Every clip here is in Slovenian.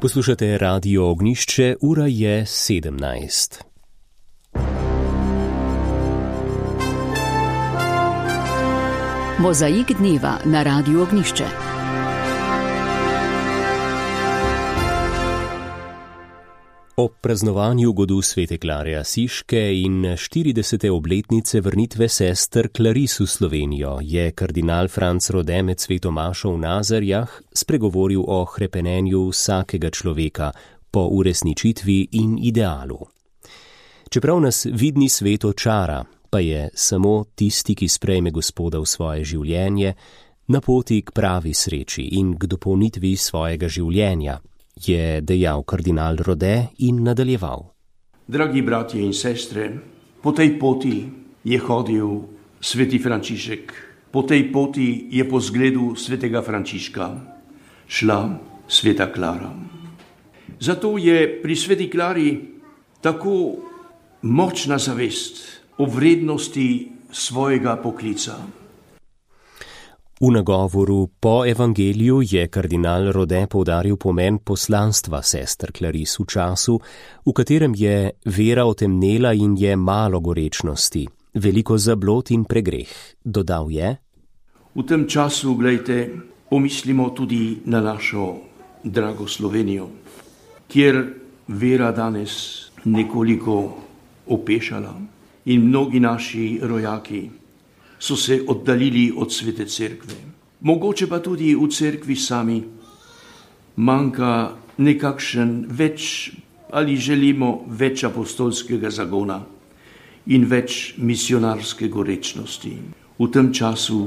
Poslušate Radio Ognjišče, ura je 17. Mozaik dneva na Radiu Ognjišče. Ob praznovanju godu svete Klare Asiške in 40. obletnice vrnitve sester Claris v Slovenijo je kardinal Franc Rode med sveto mašo v Nazarjah spregovoril o hrepenenju vsakega človeka po uresničitvi in idealu. Čeprav nas vidni svet očara, pa je samo tisti, ki sprejme Gospoda v svoje življenje, na poti k pravi sreči in k dopolnitvi svojega življenja, je dejal kardinal Rode in nadaljeval. Dragi bratje in sestre, po tej poti je hodil sveti Frančišek, po tej poti je po zgledu svetega Frančiška šla sveta Klara. Zato je pri sveti Klari tako močna zavest o vrednosti svojega poklica. V nagovoru po evangeliju je kardinal Rode poudaril pomen poslanstva sester Claris v času, v katerem je vera otemnela in je malo gorečnosti, veliko zablod in pregreh. Dodal je: V tem času, glejte, pomislimo tudi na našo drago Slovenijo, kjer vera danes nekoliko opešala in mnogi naši rojaki so se oddaljili od svete cerkve. Mogoče pa tudi v cerkvi sami manjka nekakšen več ali želimo več apostolskega zagona in več misionarske gorečnosti. V tem času,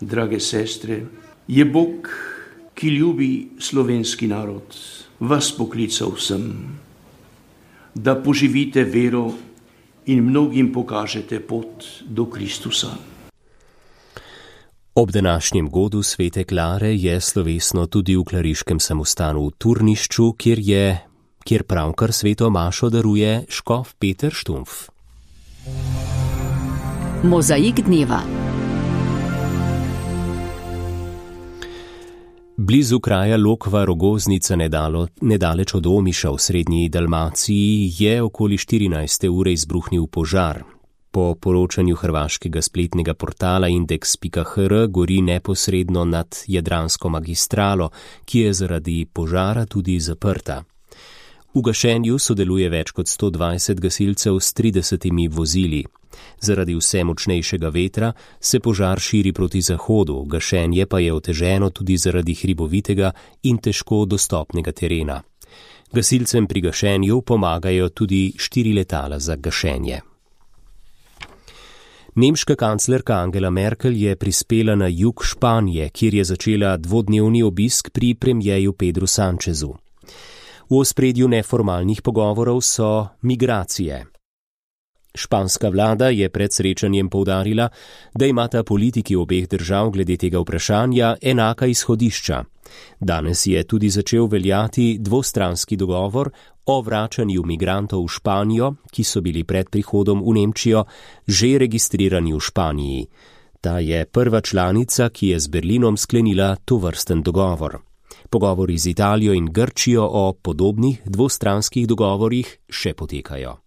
drage sestre, je Bog, ki ljubi slovenski narod, vas poklical sem, da poživite vero in mnogim pokažete pot do Kristusa. Ob današnjem godu svete Klare je slovesno tudi v klariškem samostanu v Turnišču, kjer pravkar sveto mašo daruje škof Peter Štumpf. Mozaik dneva. Blizu kraja Lokva Rogoznica nedaleč od Omiša v srednji Dalmaciji je okoli 14. ure izbruhnil požar. Po poročanju hrvaškega spletnega portala indeks.hr gori neposredno nad Jadransko magistralo, ki je zaradi požara tudi zaprta. V gašenju sodeluje več kot 120 gasilcev s 30 vozili. Zaradi vse močnejšega vetra se požar širi proti zahodu, gašenje pa je oteženo tudi zaradi hribovitega in težko dostopnega terena. Gasilcem pri gašenju pomagajo tudi 4 letala za gašenje. Nemška kanclerka Angela Merkel je prispela na jug Španije, kjer je začela dvodnevni obisk pri premierju Pedru Sanchezu. V ospredju neformalnih pogovorov so migracije. Španska vlada je pred srečanjem poudarila, da imata politiki obeh držav glede tega vprašanja enaka izhodišča. Danes je tudi začel veljati dvostranski dogovor o vračanju migrantov v Španijo, ki so bili pred prihodom v Nemčijo že registrirani v Španiji. Ta je prva članica, ki je z Berlinom sklenila tovrsten dogovor. Pogovori z Italijo in Grčijo o podobnih dvostranskih dogovorih še potekajo.